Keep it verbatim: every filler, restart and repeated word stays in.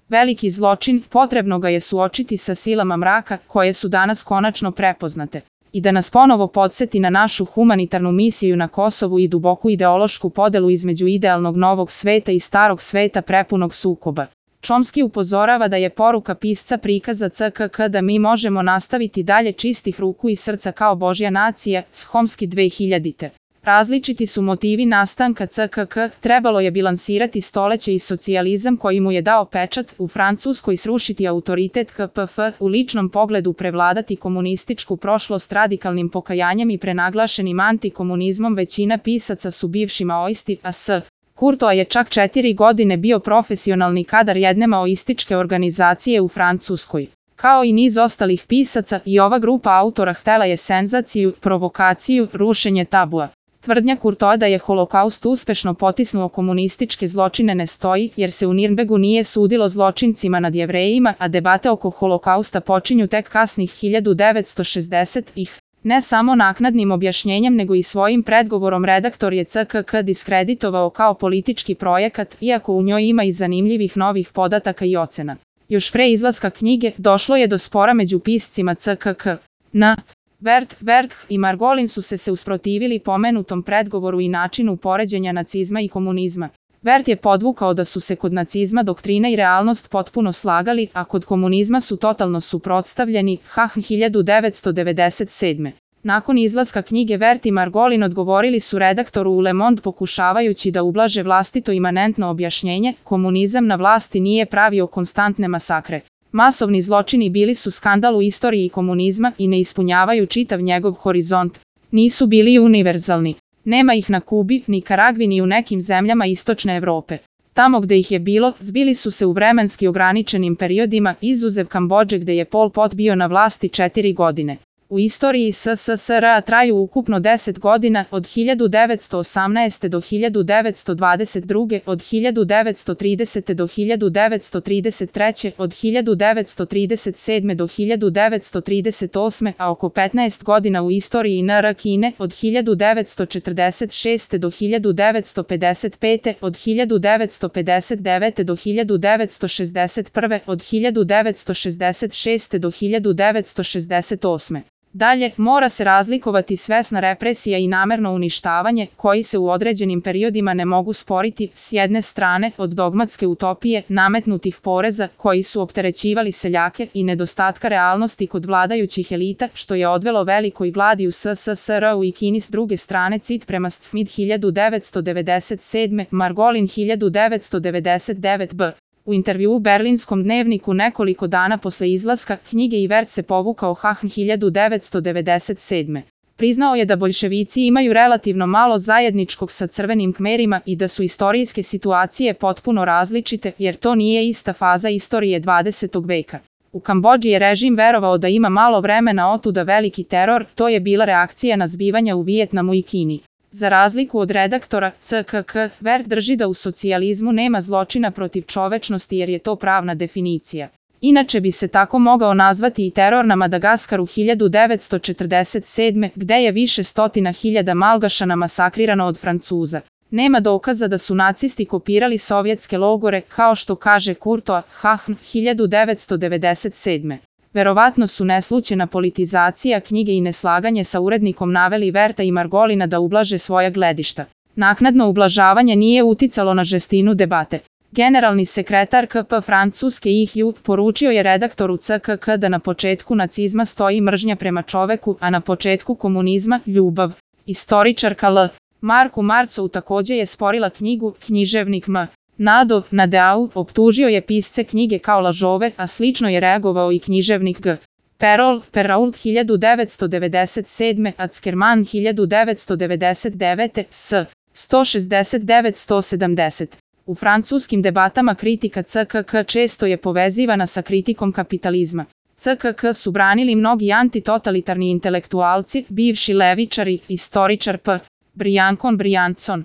Veliki zločin, potrebno ga je suočiti sa silama mraka, koje su danas konačno prepoznate. I da nas ponovo podsjeti na našu humanitarnu misiju na Kosovu i duboku ideološku podelu između idealnog novog sveta i starog sveta prepunog sukoba. Chomsky upozorava da je poruka pisca prikaza C K K da mi možemo nastaviti dalje čistih ruku i srca kao Božja nacija, Chomsky dve hiljadite. Različiti su motivi nastanka C K K, trebalo je bilansirati stoleće i socijalizam koji mu je dao pečat, u Francuskoj srušiti autoritet K P F, u ličnom pogledu prevladati komunističku prošlost radikalnim pokajanjem i prenaglašenim antikomunizmom. Većina pisaca su bivši maoisti, a S. Courtois je čak četiri godine bio profesionalni kadar jedne maoističke organizacije u Francuskoj. Kao i niz ostalih pisaca, i ova grupa autora htela je senzaciju, provokaciju, rušenje tabua. Tvrdnja Courtoisa da je holokaust uspešno potisnuo komunističke zločine ne stoji, jer se u Nirnbergu nije sudilo zločincima nad Jevrejima, a debate oko holokausta počinju tek kasnih hiljadu devetsto šezdesetih. Ne samo naknadnim objašnjenjem nego i svojim predgovorom redaktor je C K K diskreditovao kao politički projekat, iako u njoj ima i zanimljivih novih podataka i ocena. Još pre izlaska knjige, došlo je do spora među piscima C K K. N. Werth, Werth i Margolin su se se usprotivili pomenutom predgovoru i načinu poređenja nacizma i komunizma. Werth je podvukao da su se kod nacizma doktrina i realnost potpuno slagali, a kod komunizma su totalno suprotstavljeni, Hahn hiljadu devetsto devedeset sedme. Nakon izlaska knjige Werth i Margolin odgovorili su redaktoru u Le Monde pokušavajući da ublaže vlastito imanentno objašnjenje, komunizam na vlasti nije pravio konstantne masakre. Masovni zločini bili su skandal u istoriji komunizma i ne ispunjavaju čitav njegov horizont. Nisu bili univerzalni. Nema ih na Kubi, Nikaragvi ni u nekim zemljama istočne Evrope. Tamo gde ih je bilo, zbili su se u vremenski ograničenim periodima, izuzev Kambodže gde je Pol Pot bio na vlasti četiri godine. U istoriji S S S R traju ukupno deset godina, od hiljadu devetsto osamnaeste. do hiljadu devetsto dvadeset druge. od hiljadu devetsto tridesete. do hiljadu devetsto trideset treće. od hiljadu devetsto trideset sedme. do hiljadu devetsto trideset osme. a oko petnaest godina u istoriji N R Kine, od hiljadu devetsto četrdeset šeste. do hiljadu devetsto pedeset pete. od hiljadu devetsto pedeset devete. do hiljadu devetsto šezdeset prve. od hiljadu devetsto šezdeset šeste. do hiljadu devetsto šezdeset osme. Dalje, mora se razlikovati svesna represija i namerno uništavanje, koji se u određenim periodima ne mogu sporiti, s jedne strane, od dogmatske utopije, nametnutih poreza, koji su opterećivali seljake, i nedostatka realnosti kod vladajućih elita, što je odvelo velikoj gladi u S S S R-u i Kini. S druge strane, cit prema Smith hiljadu devetsto devedeset sedme. Margolin hiljadu devetsto devedeset devete. b. U intervjuu u Berlinskom dnevniku nekoliko dana posle izlaska knjige i Werth se povukao Hahn hiljadu devetsto devedeset sedme. Priznao je da boljševici imaju relativno malo zajedničkog sa crvenim Kmerima i da su istorijske situacije potpuno različite, jer to nije ista faza istorije dvadesetog veka. U Kambodži je režim verovao da ima malo vremena, otuda veliki teror, to je bila reakcija na zbivanja u Vijetnamu i Kini. Za razliku od redaktora C K K, Werth drži da u socijalizmu nema zločina protiv čovečnosti jer je to pravna definicija. Inače bi se tako mogao nazvati i teror na Madagaskaru hiljadu devetsto četrdeset sedme. gde je više stotina hiljada Malgašana masakrirano od Francuza. Nema dokaza da su nacisti kopirali sovjetske logore, kao što kaže Courtois, Hahn hiljadu devetsto devedeset sedme. Verovatno su neslućena politizacija knjige i neslaganje sa urednikom naveli Wertha i Margolina da ublaže svoja gledišta. Naknadno ublažavanje nije uticalo na žestinu debate. Generalni sekretar K P Francuske I H U poručio je redaktoru C K K da na početku nacizma stoji mržnja prema čoveku, a na početku komunizma ljubav. Istoričarka L. Marku Marcou takođe je sporila knjigu Književnik M. Nado Nadeau optužio je pisce knjige kao lažove, a slično je reagovao i književnik G. Perol, Perrault hiljadu devetsto devedeset sedme. Ackerman hiljadu devetsto devedeset devete. S. sto šezdeset devet do sto sedamdeset. U francuskim debatama kritika C K K često je povezivana sa kritikom kapitalizma. C K K su branili mnogi antitotalitarni intelektualci, bivši levičari, istoričar P. Briancon Briancon.